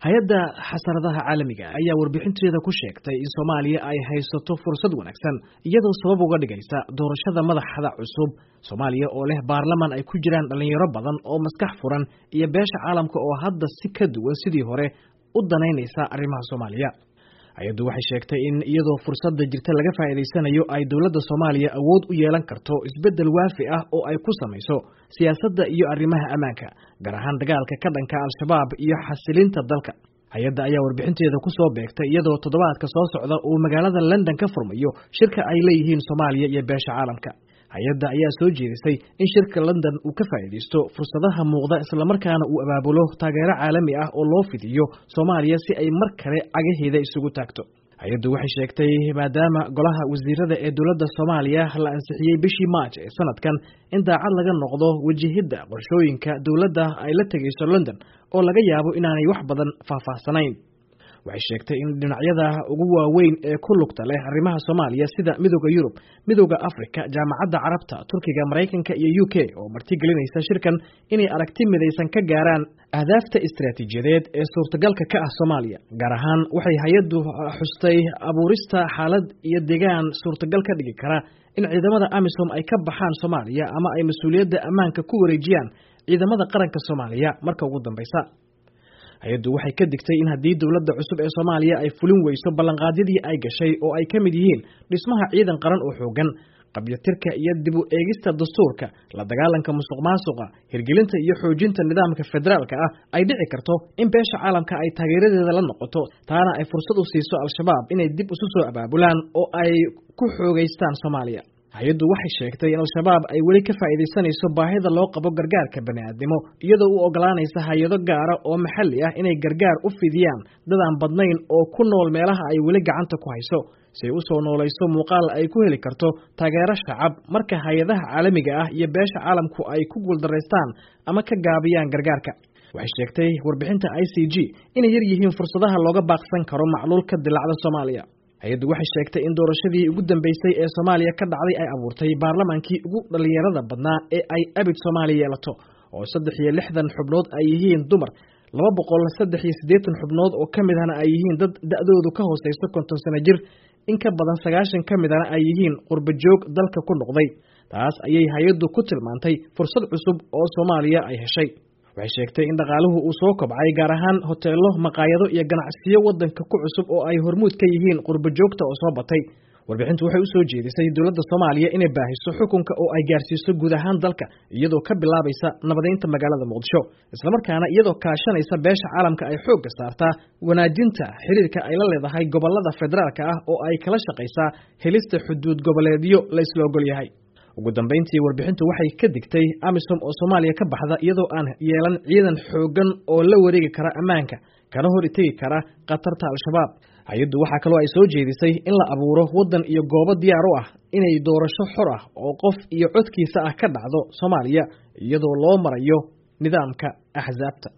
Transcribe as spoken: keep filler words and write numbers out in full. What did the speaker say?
Hay-adda xasaradaha caalamiga ayaa warbixinteeda ku sheegtay in Soomaaliya ay haysato fursad wanaagsan, iyadoo sabab uga dhigaysa doorashada madaxda cusub. Soomaaliya oo leh baarlaman ay ku jiraan dhalinyaro badan oo maskax furan iyo beesha caalamka oo hadda si ka duwan sidii hore u danaynaysa arrimaha Soomaaliya. Hay-addu waxay sheegtay in iyadoo fursadda jirta laga faa'iidaysanayo ay dowladda Soomaaliya awood u yeelan karto isbeddel waafi ah oo ay ku samayso siyaasadda iyo arrimaha ammaanka, gaar ahaan dagaalka ka dhanka Al-Shabaab iyo xasilinta dalka. Hay-adda ayaa warbixinteeda ku soo beegtay iyadoo toddobaadka soo socda uu magaalada London ka furmayo shirka ay leeyihiin Soomaaliya iyo beesha caalamka. Hay-adda ayaa soo jeedisay in shirka London uu ka faa'iidaysto fursadaha muuqda, islamarkaana uu abaabulo taageero caalami ah oo loo fidiyo Soomaaliya si ay mar kale cagaheeda isugu taagto. Hay-addu waxay sheegtay maadaama golaha wasiirada ee dowladda Soomaaliya la ansixiyey bishii Maarch ee sanadkan, in daacad laga noqdo wajahidda qorshooyinka dowladda ay la tegayso London oo laga yaabo inaanay wax badan faahfaahsanayn. Waxay sheegtay in dhinacyada ugu waaweyn ee ku lugta leh arrimaha Soomaaliya sida Midowda Yurub, Midowda Afrika, Jaamacadda Carabta, Turkiga, Maraykanka iyo U K oo martigelinaysa shirkan inay aragti midaysan ka gaaraan ahdaafta istiraatiijiyadeed ee suurtagalka ka ah Soomaaliya. Gaar ahaan waxay hay-addu xustay abuurista xaalad iyo deegaan suurtagal ka dhigi kara in ciidamada AMISOM ay ka baxaan Soomaaliya ama ay mas-uuliyadda ammaanka ku wareejiyaan ciidamada qaranka Soomaaliya marka ugu dambeysa. Hay-addu waxay ka digtay in haddii dowladda cusub ee Soomaaliya ay fulin weyso ballanqaadyadii ay gashay oo ay ka mid yihiin dhismaha ciidan qaran oo xooggan, qabyatirka iyo dib u eegista dastuurka, la dagaalanka musuqmaasuqa, hirgelinta iyo xoojinta nidaamka federaalka ah, ay dhici karto in beesha caalamka ay taageeradeeda la noqoto, taana ay fursad u siiso Al-Shabaab inay dib isu soo abaabulaan oo ay ku xoogaystaan Soomaaliya. Hay-addu waxay sheegtay in Al-Shabaab ay weli ka faa'iidaysanayso baahida loo qabo gargaarka bani'aadnimo, iyadoo u ogolaanaysa hay-ado gaara oo maxalli ah inay gargaar u fidiyaan dad aan badnayn oo ku nool meelaha ay weli gacanta ku hayso, si ay u soo noolayso muuqaal ay ku heli karto taageero shacab marka hay-adaha caalamiga ah iyo beesha caalamku ay ku guuldaraystaan ama ka gaabiyaan gargaarka. Waxay sheegtay warbixinta I C G inay yar yihiin fursadaha looga baaqsan karo macluul ka dilaacda Soomaaliya. Hay-addu waxay sheegtay in doorashadii ugu dambeysay ee Soomaaliya ka dhacday ay abuurtay baarlamaankii ugu dhalinyarada badnaa ee ay abid Soomaaliya yeelato, oo saddex iyo lixdan xubnood ay yihiin dumar, laba boqol saddex iyo siddeetan xubnood oo ka mid ahna ay yihiin dad da'doodu ka hooseyso konton sano jir, in ka badan sagaashan ka mid ahna ay yihiin qurbo joog dalka ku noqday. Taas ayay hay-addu ku tilmaantay fursad cusub oo Soomaaliya ay heshay. Waxay sheegtay in dhaqaaluhu uu soo kobcay, gaar ahaan hoteelo, maqaayado iyo ganacsiyo waddanka ku cusub oo ay hormuud ka yihiin qurbo joogta oo soo batay. Warbixintu waxay u soo jeedisay dowladda Soomaaliya inay baahiso xukunka oo ay gaarsiiso guud ahaan dalka, iyadoo ka bilaabaysa nabadeynta magaalada Muqdisho, islamarkaana iyadoo kaashanaysa beesha caalamka ay xoogga saartaa wanaajinta xiriirka ay la leedahay gobollada federaalka ah oo ay kala shaqaysaa helista xuduud goboleedyo la isla ogol yahay. Ugu dambeyntii warbixintu waxay ka digtay AMISOM oo Soomaaliya ka baxda iyadoo aan yeelan ciidan xooggan oo la wareegi kara ammaanka kana hor itegi kara khatarta Al-Shabaab. Hay-addu waxaa kaloo ay soo jeedisay in la abuuro waddan iyo goobo diyaar u ah inay doorasho xor ah oo qof iyo codkiisa ah ka dhacdo Soomaaliya, iyadoo loo marayo nidaamka axsaabta.